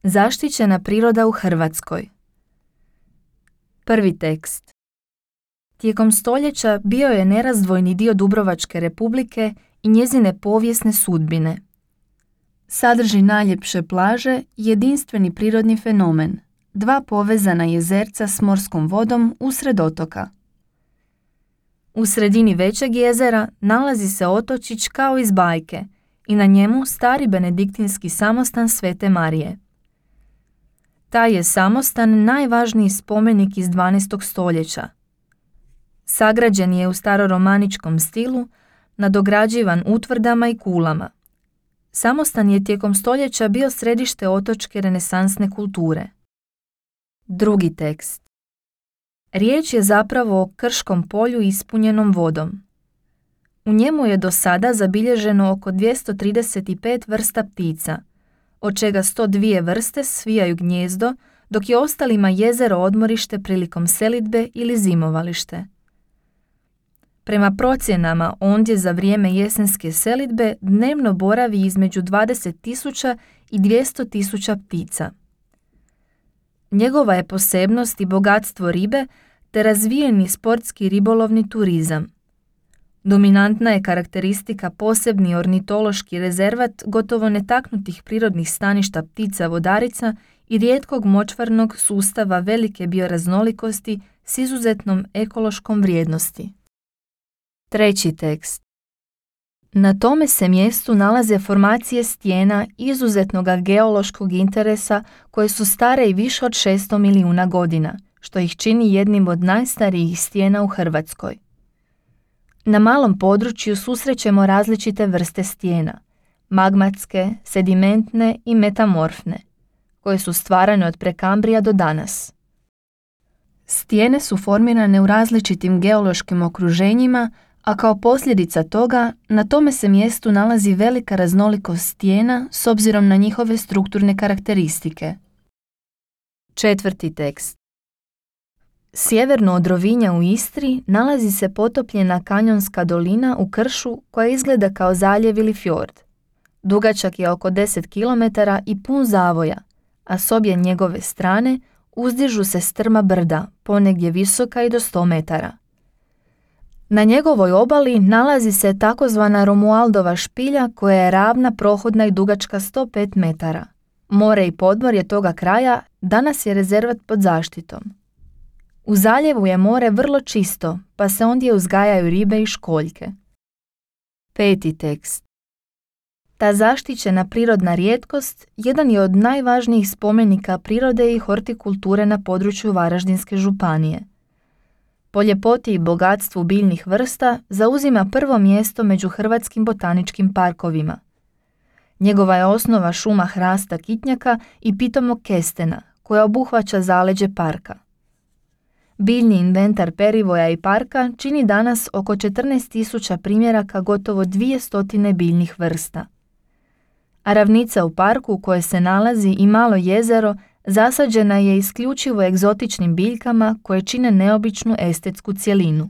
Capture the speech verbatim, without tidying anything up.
Zaštićena priroda u Hrvatskoj. Prvi tekst. Tijekom stoljeća bio je nerazdvojni dio Dubrovačke Republike i njezine povijesne sudbine. Sadrži najljepše plaže i jedinstveni prirodni fenomen, dva povezana jezerca s morskom vodom usred otoka. U sredini većeg jezera nalazi se otočić kao iz bajke i na njemu stari benediktinski samostan Svete Marije. Taj je samostan najvažniji spomenik iz dvanaestog stoljeća. Sagrađen je u staroromaničkom stilu, nadograđivan utvrdama i kulama. Samostan je tijekom stoljeća bio središte otočke renesansne kulture. Drugi tekst. Riječ je zapravo o krškom polju ispunjenom vodom. U njemu je do sada zabilježeno oko dvjesto trideset pet vrsta ptica, od čega sto dvije vrste svijaju gnijezdo, dok je ostalima jezero odmorište prilikom selidbe ili zimovalište. Prema procjenama, ondje za vrijeme jesenske selidbe dnevno boravi između dvadeset tisuća i dvjesto tisuća ptica. Njegova je posebnost i bogatstvo ribe te razvijeni sportski ribolovni turizam. Dominantna je karakteristika posebni ornitološki rezervat gotovo netaknutih prirodnih staništa ptica vodarica i rijetkog močvarnog sustava velike bioraznolikosti s izuzetnom ekološkom vrijednosti. Treći tekst. Na tome se mjestu nalaze formacije stijena izuzetnog geološkog interesa koje su stare i više od šesto milijuna godina, što ih čini jednim od najstarijih stijena u Hrvatskoj. Na malom području susrećemo različite vrste stijena, magmatske, sedimentne i metamorfne, koje su stvarane od prekambrija do danas. Stijene su formirane u različitim geološkim okruženjima, a kao posljedica toga na tome se mjestu nalazi velika raznolikost stijena s obzirom na njihove strukturne karakteristike. Četvrti tekst. Sjeverno od Rovinja u Istri nalazi se potopljena kanjonska dolina u kršu koja izgleda kao zaljev ili fjord. Dugačak je oko deset kilometara i pun zavoja, a s obje njegove strane uzdižu se strma brda, ponegdje visoka i do sto metara. Na njegovoj obali nalazi se takozvana Romualdova špilja koja je ravna, prohodna i dugačka sto pet metara. More i podmorje toga kraja danas je rezervat pod zaštitom. U zaljevu je more vrlo čisto, pa se ondje uzgajaju ribe i školjke. Peti tekst. Ta zaštićena prirodna rijetkost jedan je od najvažnijih spomenika prirode i hortikulture na području Varaždinske županije. Po ljepoti i bogatstvu biljnih vrsta zauzima prvo mjesto među hrvatskim botaničkim parkovima. Njegova je osnova šuma hrasta kitnjaka i pitomog kestena, koja obuhvaća zaleđe parka. Biljni inventar perivoja i parka čini danas oko četrnaest tisuća primjeraka gotovo dvije stotine biljnih vrsta. A ravnica u parku u kojoj se nalazi i malo jezero zasađena je isključivo egzotičnim biljkama koje čine neobičnu estetsku cjelinu.